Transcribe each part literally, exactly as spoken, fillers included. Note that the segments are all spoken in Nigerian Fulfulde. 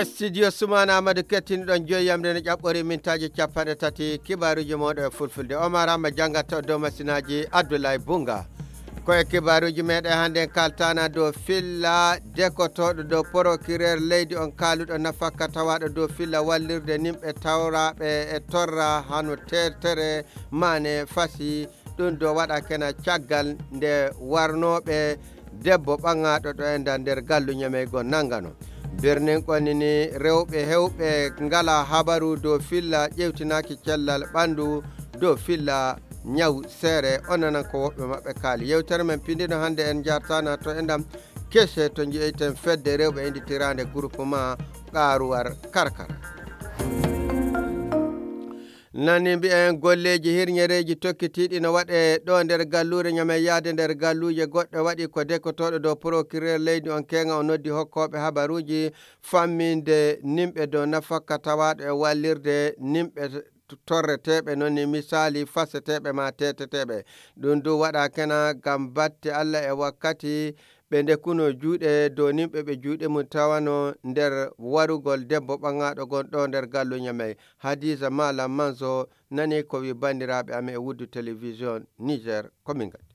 studio sumana amadou kettinɗon joyyamde no ƴaɓɓori mintaji capanɗe tati kibaruji moɗo e fulfulde Omar Hama jangata dow masinaji Abdoulaye Bunga koye kibaruji meɗen hande kaltana dow filla dekotoɗo dow procureur leydi on kaluɗo nafakka tawaɗo dow filla wallirde nimɓe tawraɓe e torra hano tertere mane fasi ɗum do waɗa kena caggal nde warnoɓe debbo ɓangaɗo ɗo enda nder gallu ñameygo nangano birnin konini rewɓe hewɓe ngala habaru dow filla ƴewtinaki cellal ɓandu dow filla ñaw seere onanan ko woɓɓe maɓɓe kaali yewtere men pindino hande en jartana to endam kese to jeeyten fedde rewɓe inditirande groupement ƙaruwar karkara nani mbi'en golleji hirñereji tokkitiɗi no waɗe ɗo nder gallure ñame yaade nder galluje goɗɗo waɗi ko dekotoɗo dow procureur leydi on kenga o noddi hokkoɓe habaruji famminde nimɓe dow nafakka tawaɗo e wallirde nimɓe torreteɓe noon ni misali faseteɓe ma teteteɓe ɗum du waɗa kena gam batte Allah e wakkati ɓe ndekuno juuɗe dow nimɓe ɓe juuɗe mum tawano nder warugol debbo ɓangaɗo gonɗo nder gallu ñamey Hadiza Malam Manzo nani ko wi bandiraɓe ame e Wuddu télévision Niger komin gadi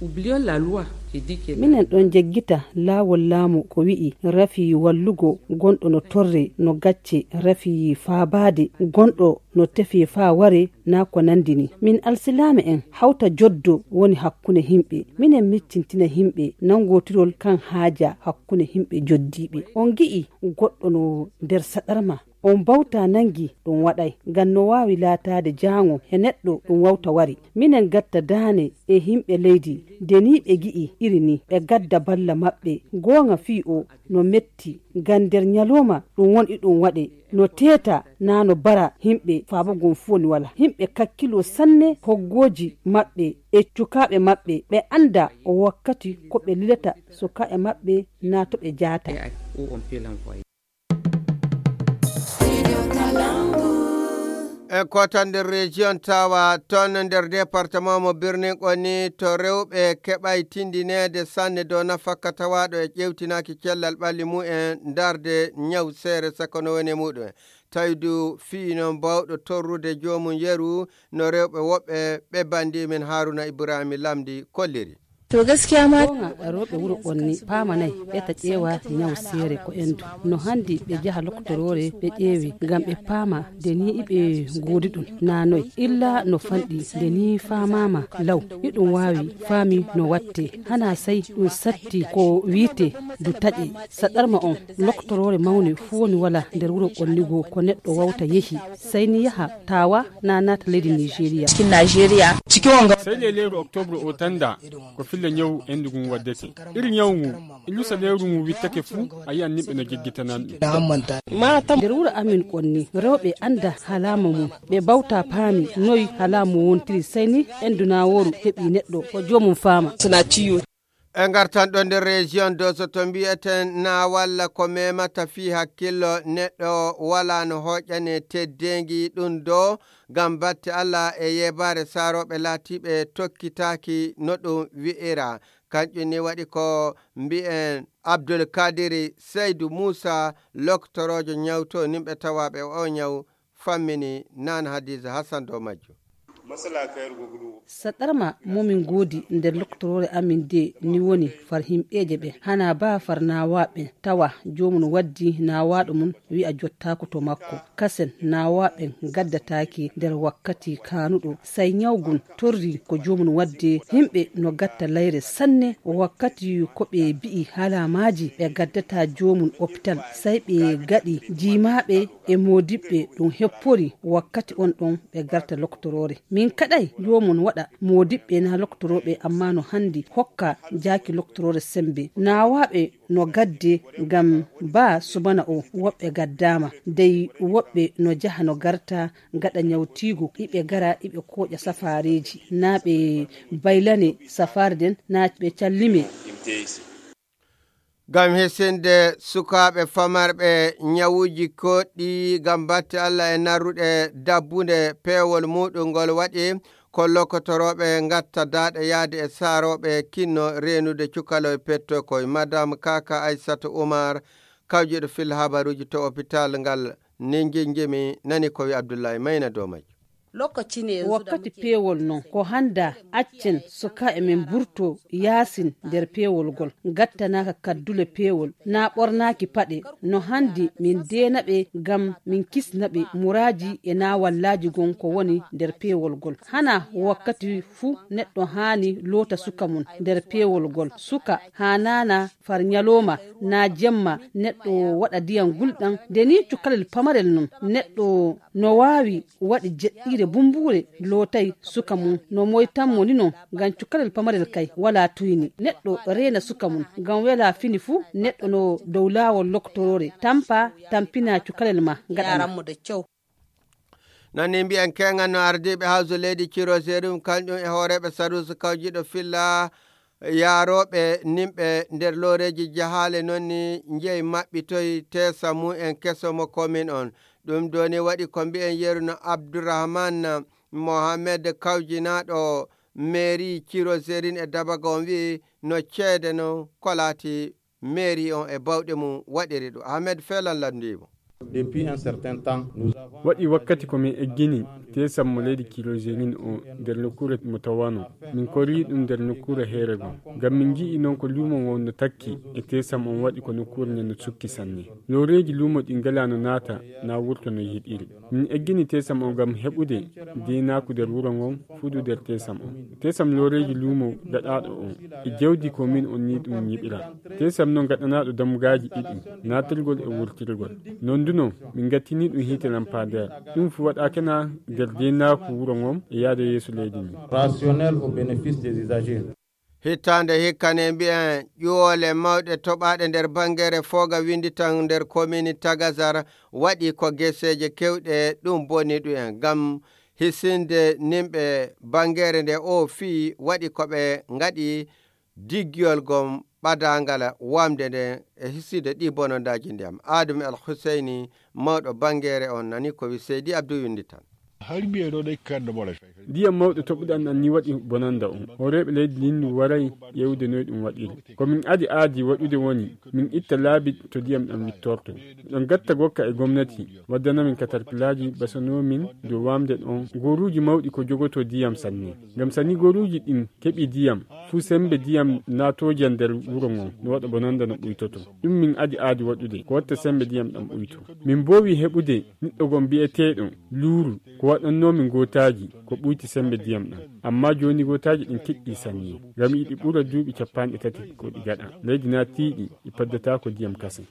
oublions la loi qui dit que minen ɗon jeggita laawol laamu ko wi'i rafi wallugo gonɗo no torre no gacce rafi faabade gonɗo no tefi faa ware na ko nandini min alsilama en hawta joddo woni hakkunde himɓe minen miccintina himɓe nangotirol kan haaja hakkunde himɓe joddiɓe on gi'i goɗɗo no nder saɗarma on bawta nangi ɗum waɗay ngam no wawi laatade jaango e neɗɗo ɗum wawta wari minen gatta daane e himɓe leydi nde ni ɓe gi'i iri ni ɓe gadda balla maɓɓe goonga fii o no metti ngam nder ñaloma ɗum woni ɗum waɗe no teta na no bara himɓe faabagon fu woni wala himɓe kakkilo sanne hoggoji maɓɓe e cukaɓe maɓɓe ɓe anda o wakkati ko ɓe lilata sukaɓe maɓɓe na to ɓe jaata e kotan nder région tawa ton nder département mo birnin koni to rewɓe keɓay tindinede sanne dow nafakka tawaɗo e ƴewtinaki cellal ɓalli mu'en darde ñaw seere sakono woni muɗum tawdu fiino bawɗo torrude jomum yeru no rewɓe woɓɓe ɓe bandi min Haruna Ibrahima Lamdi kolliri to gaskiya ma roɓe wuro ɓonni pamanay ɓeta ƴeewa ñaw seere ko endu no handi ɓe jaha loktorore ɓe ƴeewi ngam ɓe paama nde ni iɓe goodi ɗum nanoy illa no fanɗi nde ni famama law iɗum wawi faami no watte hana sey ɗum satti ko wiite du taƴe saɗarma on loktorore mawne fu woni wala nder wuro ɓonnigo ko neɗɗo wawta yehi sey ni yaha tawa na nata leydi Nigeria cikin Nigeria cikin wanga sai leleru octobre o tanda ko fille ñaw endugu waddete iri ñawgu ilusa leru ngu wittake fu ayi an nimɓe no jeggitanan ɗum nder wuro amin konni rewɓe anda halama mum ɓe bawta paami noyi halamu wontiri sey ni endunaworu heɓi neɗɗo o jomum faama sona ciyo e gartan ɗo nder région do so to mbiyeten na walla ko memata fi hakkillo neɗɗo wala no hoƴƴane teddengi ɗum do gam batte Allah e yebare saroɓe laatiɓe tokkitaki no ɗum wi'ira kanƴum ni waɗi ko mbi'en Abdoul Kadiri Seydou Moussa loktorojo ñawto nimɓe tawaɓe o ñaw fammini nan Hadiza Hassan do majjo saɗarma momin goodi nder loktorore amin de ni woni far himɓeje ɓe hana ba far nawaɓe tawa jomum waddi nawaɗo mum wi'a jottako to makko kasen nawaɓe gaddataki nder wakkati kanuɗo sai ñawgun torri ko jomum wadde himɓe no gatta layre sanne wakkati ko ɓe bi'i halamaji ɓe gaddata jomum hôpital sai ɓe gaɗi jimaɓe e modiɓɓe ɗum heppori wakkati on ɗon ɓe garta loktorore min kaɗai jomum waɗa modiɓɓe na loktoroɓe amma no handi hokka jaki loktorore sembe nawaɓe no gadde ngam ba subana o woɓɓe gaddama dey woɓɓe no jaha no garta gaɗa ñawtigo iɓe gara iɓe koƴa safareji na ɓe baylane safare den na ɓe callime gam hesinde sukaɓe famarɓe ñawuji koɗɗi gam batte Allah e narruɗe dabbunde peewol muɗum ngol waɗi ko lokotoroɓe gatta daɗe yaade e saaroɓe kinno renude cukalo e petto koye madame Kaka Aissatou Oumar kawjiɗo fil habaruji to hôpital ngal ninguingimi nani ko wi Abdoulaye Mayna dow majum. wakkati peewol non ko handa accen suka e min burto yasin nder peewol gol gattanaka kaddule peewol na ɓornaki paɗe no handi min denaɓe gam min kisnaɓe muraji e na wallaji gon ko woni nder peewol gol. hana wakkati fuu neɗɗo hani loota suka mum nder peewol gol. suka ha nana far nyaloma na jemma neɗɗo waɗa diyam gulɗam nde ni cukalel pamarel non neɗɗo no wawi waɗi jeɗɗire bumbure lotay suka mum no moytanmo ni non ngam cukalel pamarel kay wala tuyni. neɗɗo rena suka mum ngam wela fini fuu neɗɗo no dow lawol loktorore tampa tampina cukalel ma gaɗanmo de cew. nani mbiyan kengan no ardiɓe hawso leydi Ciro Serum kañƴum e hooreɓe sarusi kawjiɗo filla yaaroɓe nimɓe nder loreji jahale nonni jeeyi maɓɓitoy tesa mum en kesomo komin on. ɗum doni waɗi ko mbi'en yeruno Abdourahmane Mohamed kawjinaɗo mairie Ciro Serin e Dabaga on wi no ceede no kolati mairie on e bawɗe mum waɗiri ɗo. Ahmed Felan landimo. Depuis un certain temps, nous avons waɗi wakkati komin eggini tesam mo leydi kilojenin o nder nokkure mo tawano min kori ɗum nder nokkure heere gon ngam min ji'i noon ko lumo ngon no takki e tesam on waɗi ko nokkure nden no sukki sanne. loreji lumo ɗi ngala no naata na wurto no yiɗiri. min eggini tesam o ngam heɓude dinaku nder wuro ngon fuɗu nder tesam o. tesam loreji lumo gaɗaɗo on e jawdi ko min on ni ɗum yiɓira. tesam noon gaɗanaɗo dammugaji ɗiɗi natirgol e wurtirgol. non duno min gattini ɗum hiite lampadaire ɗum fu waɗakena nder denaku wuro ngon e yaade yeeso leydi ni. rationnel au bénéfice des usagers. hittande hikkane mbiyen ƴuwole mawɗe toɓaɗe nder bangere foga windi tan nder commune Tagazar waɗi ko geseje kewɗe ɗum boni ɗum en gam hisinde nimɓe bangere nde o fi waɗi koɓe ngaɗi diggiyol gon ɓadangala wamde nde e hiside ɗi bonondaji ndiyam. Adum El Husseini mawɗo bangere on nani ko wi Seydi Abdou windi tan. ndiyam mawɗo toɓuɗan an ni waɗi bonanda on horeɓe leydi lindu waray ƴewde noy ɗum waɗiri. komin adi aadi waɗude woni min itta laabi to ndiyam ɗam wittorto. ɗon gatta gokka e gomnati waddanamin katarpilaji basanomin dow wamde ɗon goruji mawɗi ko jogoto ndiyam sanne. ngam sanni goruji ɗin keɓi ndiyam fuu sembe ndiyam natoja nder wuro ngon no waɗa bonanda no ɓuytoto. ɗum min adi aadi waɗude ko watta sembe ndiyam ɗam ɓuyto. min bowi heɓude niɗɗo gon mbi'eteɗo luuru ko waɗannomin gotaji ko ɓuyti sembe ndiyam ɗam amma joni gotaji ɗin kiɗɗi sanni ngam yiɗi ɓura duuɓi capanɗe tati ko ɗi gaɗa. leydi na tiiɗi ɗi paddata ko ndiyam kase.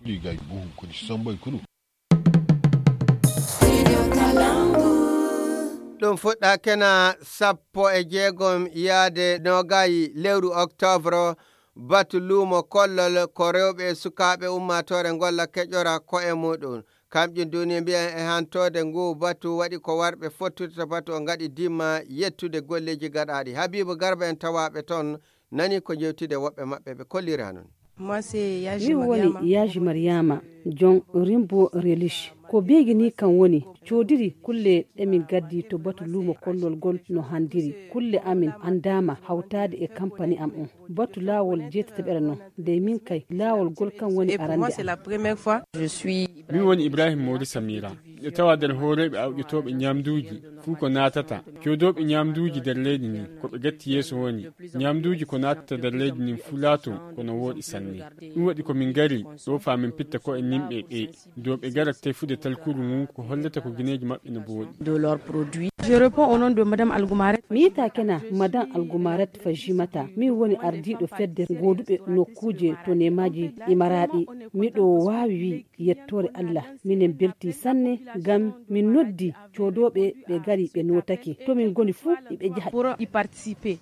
ɗum fuɗɗa kena sappo e jeegom yaade nogayi lewru octobre batu luumo kollol ko rewɓe sukaɓe ummatore golla keƴora ko'e muɗum. kamƴin duni mbiyan e hantode ngu batu waɗi ko warɓe fottude to batu o gaɗi dimma yettude golleji gaɗaɗi. Habibu Garba en tawaɓe toon nani ko jewtide woɓɓe maɓɓe ɓe kolliri hanon. min woni yaji Mariama jon rimbo relish ko beegini kan woni codiri kulle ɗemin gaddi to batu lumo kollol gol no handiri. kulle amin andama hawtade e campani am on batu lawol jeetataɓere non nde min kay lawol gol kan woni arande min woni Ibrahim Mori Samira e tawa nder horeɓe awƴetoɓe ñamduji fuu ko natata codoɓe ñamduji nder leydi ni koɓe gatti yeeso woni ñamduji ko natata nder leydi nin fuu laato kono wooɗi sanne. ɗum waɗi komin gari ɗo famin pitta ko e nimɓe ɓe dow ɓe garat tefude talkuru mum ko hollata ko guineji maɓɓe no booɗi. Je réponds au nom de Madame Algoumaret. mi yita kena Madame Algoumaret Fajimata min woni ardiɗo fedde goduɓe nokkuje to nemaji imaraɗi. miɗo wawi wi yettore Allah minen belti sanne gam min noddi codoɓe ɓe gari ɓe notaki to min goni fuu ɓe jaha pour y participer.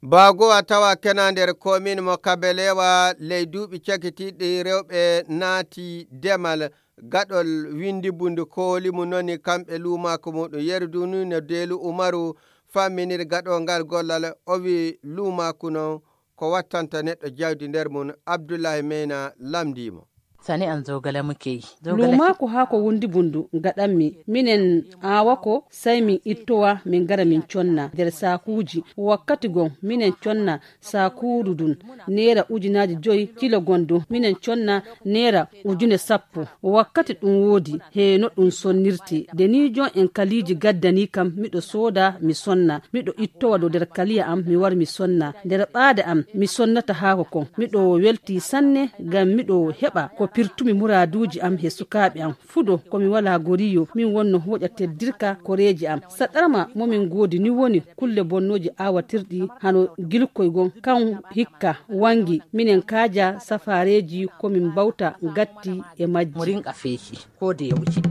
Bago a tawa kena nder commune mo Kabelewa ley duuɓi cakitiɗi rewɓe naati demal gaɗol windi bundu kooli mu noni kamɓe luumako muɗum yerdu ni no Deelu Umaru famminir gaɗo ngal gollal o wi luumaku non ko wattanta neɗɗo jawdi nder mum. Abdoulaye Meyna lamdimo. sani an zogale muke yi. Luma ko hako wundi bundu gaɗanmi minen awako sai min ittowa min gara min conna nder sakuji wakkati gon minen conna sakuru dun nera ujinaji joyi kilo gondo minen conna nera ujune sappo wakkati ɗum wodi he no ɗum sonnirti de ni jon en kaliji gaddani kam miɗo soda mi sonna miɗo ittowa do nder kaliya am mi war mi sonna nder ɓaade am mi sonnata hako kon miɗo welti sanne ngam miɗo heɓa ko pirtumi muraduji am he sukaɓe am fudo komi wala goriyo min wonno hoƴa teddirka koreji am saɗarma momin godi ni woni kulle bonnoji awatirɗi hano gilkoy gon kan hikka wangi minen kaja safareji komin bawta gatti e majji murin kafeki ko da yauki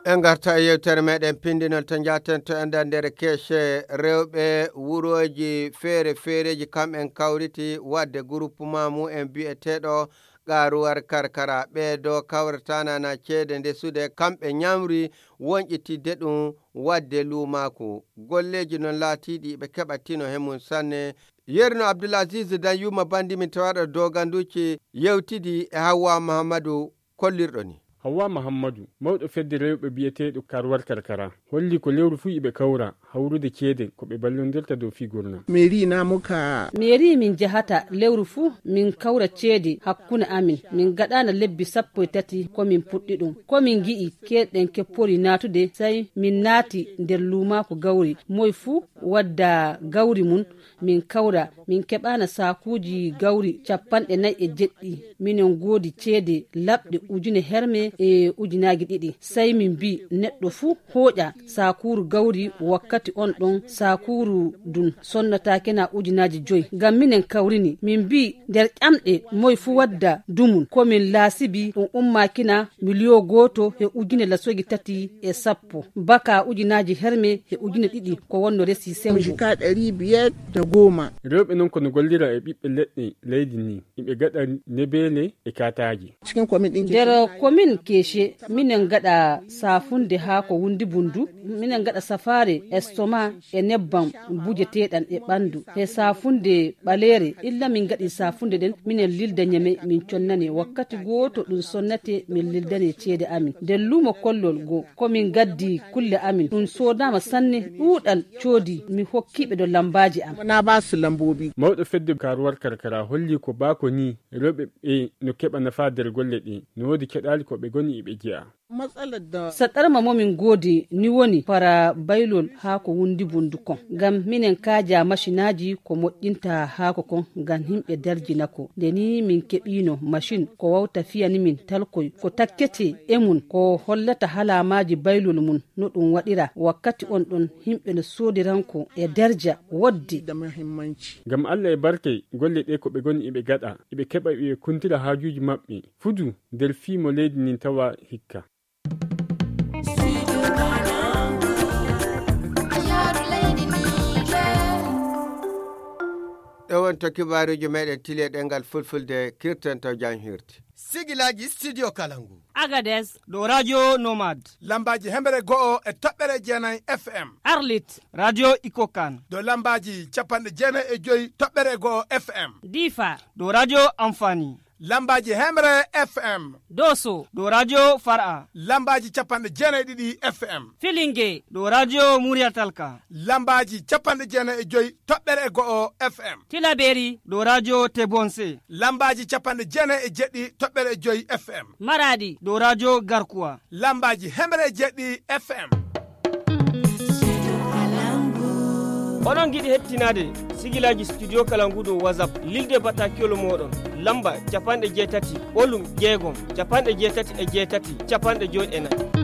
en garta e yewtere meɗen pindinol to jaten to enda nder keece rewɓe wuroji feere feereji kamɓen kawriti wadde groupement mumen bi'eteɗo garuwar karkara ɓeeɗo kawratanana ceede ndesude kamɓe ñamri wonƴitidde ɗum wadde lumaku golleji noon laatiɗi ɓe keɓatino hemum sanne yerno abdoulaziz danyuma bandimin tawaɗo doganduci yewtidi e Hawwa Mahamadou kollirɗo ni. Hawwa Mahamadou mawɗo fedde rewɓe biyeteɗo karwar karkara holli ko lewru fu iɓe kawra hawrude ceede ko ɓe ballondirta dow figurna. meri na muka meri min jahata lewru fu min kawra ceede hakkune amin min gaɗana lebbi sappo e tati komin puɗɗi ɗum komin gi'i keɗɗen keppori natude sai min naati nder lumaku gawri moy fu wadda gawri mun min kawra min keɓana sakuji gawri capanɗe nayi e jeɗɗi minen godi ceede labɗe ujune herme e ujunagi ɗiɗi sai min bi neɗɗo fu hoƴa sakuru gawri wakkati on ɗon sakuru dun sonnatake na ujunaji joyi ngam minen kawrini min bi nder ƴamɗe moy fu wadda dumun komin laasibi ɗum ummakina miliyo goto e ujune lasogi tati e sappo baka ujunaji herme e ujune ɗiɗi ko wonno resi sembo ka ɗari biyar da goma rewɓe non kono gollira e ɓiɓɓe leɗɗe leydi ni iɓe gaɗa nebele e kataji cikin komin ɗin nder komin keshe minen gaɗa safunde ha ko wundi bundu minen gaɗa safare estoma e nebbam bujeteɗan e ɓandu e safunde ɓalere illa min gaɗi safunde ɗen minen lilda ñame min connane wakkati goto ɗum sonnate min lildane ceede amin nden lumo kollol go komin gaddi kulle amin ɗum sodama sanne ɗuɗal coodi mi hokkiɓe do lambaji am na ba su lambobi mawɗo fedde karuwar karkara holli ko bako ni rewɓe ɓe no keɓa nafa nder golle ɗe no wodi keɗali ko ɓe goni iɓe jiya saɗarma momin godi ni woni para baylol ha ko wundi bundu kon ngam minen kaja machinaji ko moƴƴinta hako kon ngam himɓe darjinako nde ni min keɓino machine ko wawta fiyani min talkoy ko takkete e mun ko hollata halamaji baylol mun no ɗum waɗira wakkati on ɗon himɓe no sodiranko e darja woddi ngam Allah e barke golle ɗe ko ɓe goni iɓe gaɗa iɓe keɓa ɓe kuntira hajuji maɓɓe fudu nder fimo leydi nin tawa hikka. ɗowon to kibaruji meɗen tile ɗengal fulfulde kirten to jam hirti sigilaji studio kalangu Agades do radio nomad lambaji hemere go'o e toɓɓere jeenayi F M Arlit radio ikokan do lambaji capanɗe jeenayi e joyi toɓɓere go'o F M Difa do radio amfani lambaji hemre F M Doso do radio Far'a lambaji capanɗe jeenayi ɗiɗi F M Filinge do radio Muriatalka lambaji capanɗe jeenayi e joyi toɓɓere go'o F M Tilaberi do radio Tebonse lambaji capanɗe jeenayi e jeɗɗi toɓɓere e joyi F M Maradi do radio Garkuwa lambaji hemre jeɗɗi F M onon giɗi hettinade sigilaji studio kalangu do WhatsApp lilde batakiyol moɗon lamba capanɗe jeetati ɓolum jeegom capanɗe jeetati e jeetati capanɗe joyi e nayyi